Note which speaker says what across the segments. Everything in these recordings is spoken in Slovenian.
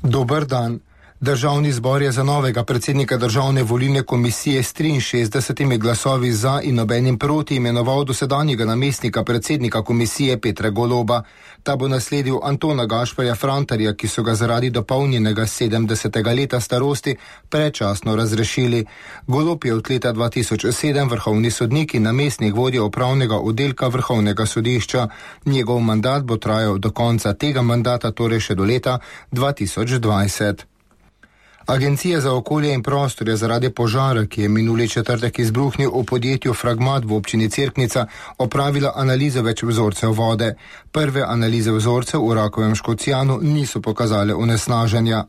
Speaker 1: Dober dan. Državni zbor je za novega predsednika Državne volilne komisije s 63 glasovi za in nobenim proti imenoval dosedanjega namestnika predsednika komisije Petra Goloba. Ta bo nasledil Antona Gašperja Frantarja, ki so ga zaradi dopolnjenega 70. leta starosti predčasno razrešili. Golob je od leta 2007 vrhovni sodnik in namestnik vodje upravnega oddelka Vrhovnega sodišča. Njegov mandat bo trajal do konca tega mandata, torej še do leta 2020. Agencija za okolje in prostor je zaradi požara, ki je minuli četrtek izbruhnil v podjetju Fragmat v občini Cerknica, opravila analizo več vzorcev vode. Prve analize vzorcev v Rakovem Škocjanu niso pokazale onesnaženja.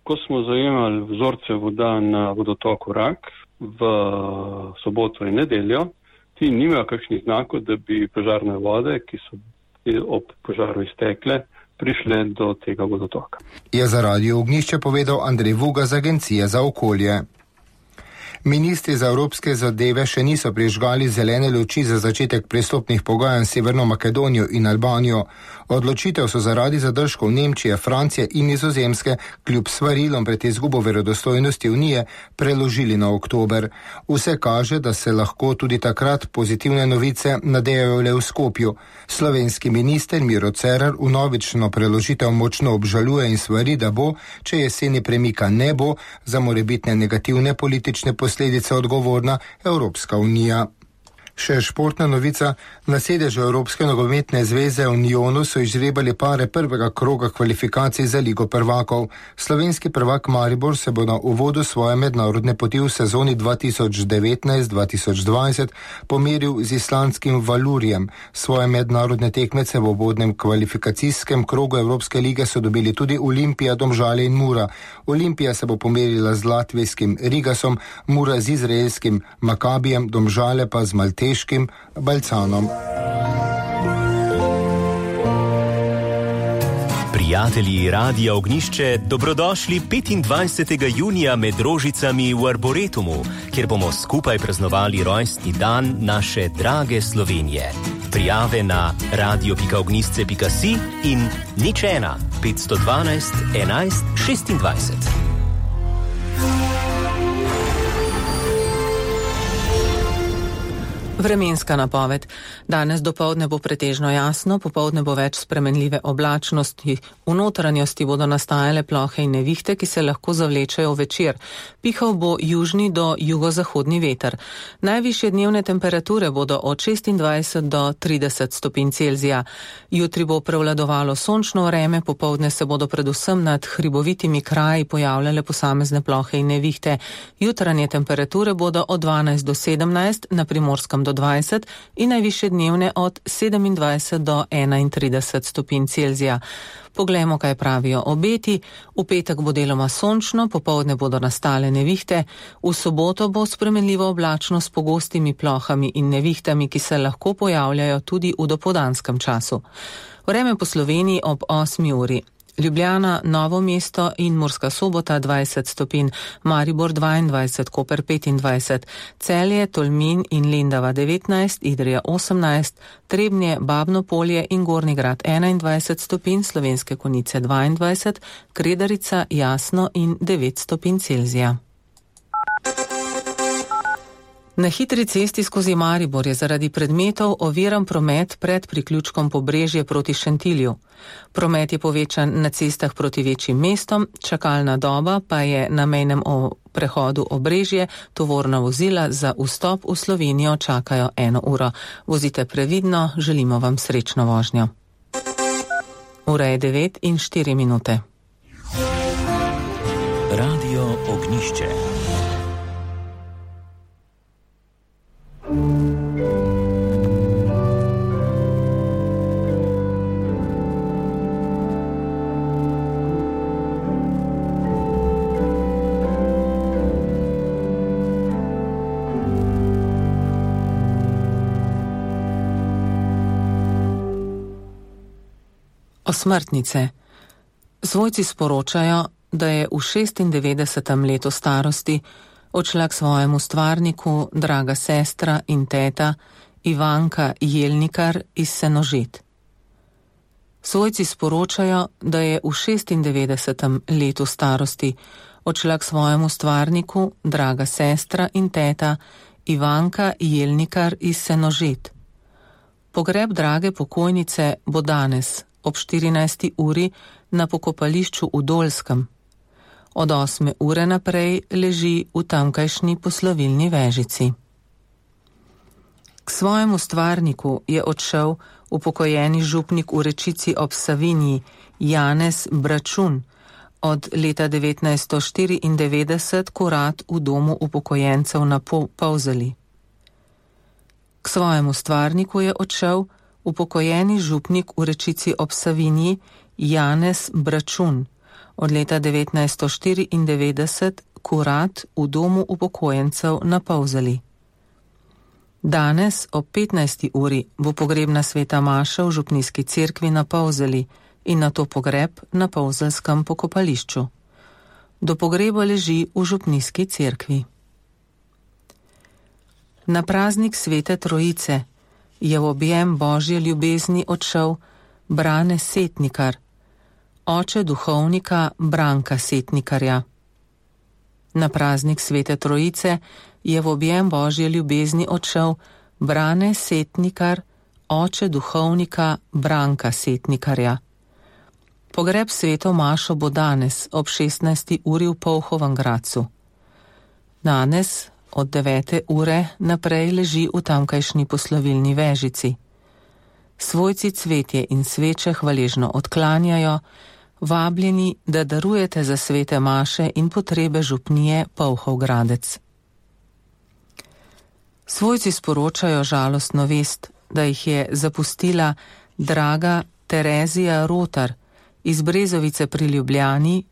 Speaker 2: Ko smo zajemali vzorce voda na vodotoku Rak v soboto in nedeljo, ti nimajo kakšnih znakov, da bi požarne vode, ki so ob požaru iztekle, prišle do tega vodotoka.
Speaker 1: Je za Radio Ognjišče povedal Andrej Vuga z Agencije za okolje. Ministri za evropske zadeve še niso prižgali zelene luči za začetek pristopnih pogajanj s Severno Makedonijo in Albanijo. Odločitev so zaradi zadržkov Nemčije, Francije in Nizozemske kljub svarilom pred izgubo verodostojnosti Unije preložili na oktober. Vse kaže, da se lahko tudi takrat pozitivne novice nadejajo le v Skopju. Slovenski minister Miro Cerar vnovično preložitev močno obžaluje in svari, da bo, če jeseni premika ne bo, za morebitne negativne politične posledice odgovorna Evropska unija. Še športna novica. Na sedežu Evropske nogometne zveze v Njonu so izžrebali pare prvega kroga kvalifikacij za Ligo prvakov. Slovenski prvak Maribor se bo na uvodu svoje mednarodne poti v sezoni 2019-2020 pomeril z islandskim Valurjem. Svoje mednarodne tekmece v uvodnem kvalifikacijskem krogu Evropske lige so dobili tudi Olimpija, Domžale in Mura. Olimpija se bo pomerila z latvijskim Rigasom, Mura z izraelskim Makabijem, Domžale pa z malteškim Balcanom.
Speaker 3: Prijatelji Radia Ognjišče, dobrodošli 25. junija med rožicami v Arboretumu, kjer bomo skupaj praznovali rojstni dan naše drage Slovenije. Prijave na radio.ognjisce.si in 01 512 11 26.
Speaker 4: Vremenska napoved. Danes dopoldne bo pretežno jasno, popoldne bo več spremenljive oblačnosti. V notranjosti bodo nastajale plohe in nevihte, ki se lahko zavlečejo večer. Pihal bo južni do jugozahodni veter. Najvišje dnevne temperature bodo od 26 do 30 stopinj Celzija. Jutri bo prevladovalo sončno vreme, popoldne se bodo predvsem nad hribovitimi kraji pojavljale posamezne plohe in nevihte. Jutranje temperature bodo od 12 do 17, na Primorskem do 20 in najvišje dnevne od 27 do 31 stopinj Celzija. Poglejmo, kaj pravijo obeti. V petek bo deloma sončno, popoldne bodo nastale nevihte. V soboto bo spremenljivo oblačno s pogostimi plohami in nevihtami, ki se lahko pojavljajo tudi v dopoldanskem času. Vreme po Sloveniji ob 8 uri. Ljubljana, Novo mesto in Murska Sobota 20 stopinj, Maribor 22, Koper 25, Celje, Tolmin in Lendava 19, Idrija 18, Trebnje, Babno Polje in Gornji Grad 21 stopinj, Slovenske Konjice 22, Kredarica, Jasno in 9 stopinj Celzija. Na hitri cesti skozi Maribor je zaradi predmetov oviran promet pred priključkom Pobrežje proti Šentilju. Promet je povečan na cestah proti večjim mestom, čakalna doba pa je na mejnem prehodu Obrežje, tovorna vozila za vstop v Slovenijo čakajo 1 uro. Vozite previdno, želimo vam srečno vožnjo. Ura je 9:04.
Speaker 3: Radio Ognjišče.
Speaker 4: Osmrtnice. Svojci sporočajo, da je v 96. letu starosti odšla k svojemu stvarniku draga sestra in teta Ivanka Jelnikar iz Senožet. Svojci sporočajo, da je v 96. letu starosti odšla k svojemu stvarniku draga sestra in teta Ivanka Jelnikar iz Senožet. Pogreb drage pokojnice bo danes ob 14. uri na pokopališču v Dolskem. Od 8. ure naprej leži v tamkajšnji poslovilni vežici. K svojemu stvarniku je odšel upokojeni župnik v Rečici ob Savinji Janez Bračun, od leta 1994 kurat v domu upokojencev na Polzeli. K svojemu stvarniku je odšel upokojeni župnik v Rečici ob Savinji Janez Bračun, od leta 1994 kurat v domu upokojencev na Polzeli. Danes ob 15. uri bo pogrebna sveta maša v župnijski cerkvi na Polzeli in nato pogreb na polzelskem pokopališču. Do pogreba leži v župnijski cerkvi. Na praznik Svete Trojice je v objem Božje ljubezni odšel Brane Setnikar, oče duhovnika Branka Setnikarja. Na praznik Svete Trojice je v objem Božje ljubezni odšel Brane Setnikar, oče duhovnika Branka Setnikarja. Pogreb sveto mašo bo danes ob 16. uri v Polhovem Gradcu. Danes od 9. ure naprej leži v tamkajšnji poslovilni vežici. Svojci cvetje in sveče hvaležno odklanjajo, vabljeni, da darujete za svete maše in potrebe župnije Polhov Gradec. Svojci sporočajo žalostno vest, da jih je zapustila draga Terezija Rotar iz Brezovice pri Ljubljani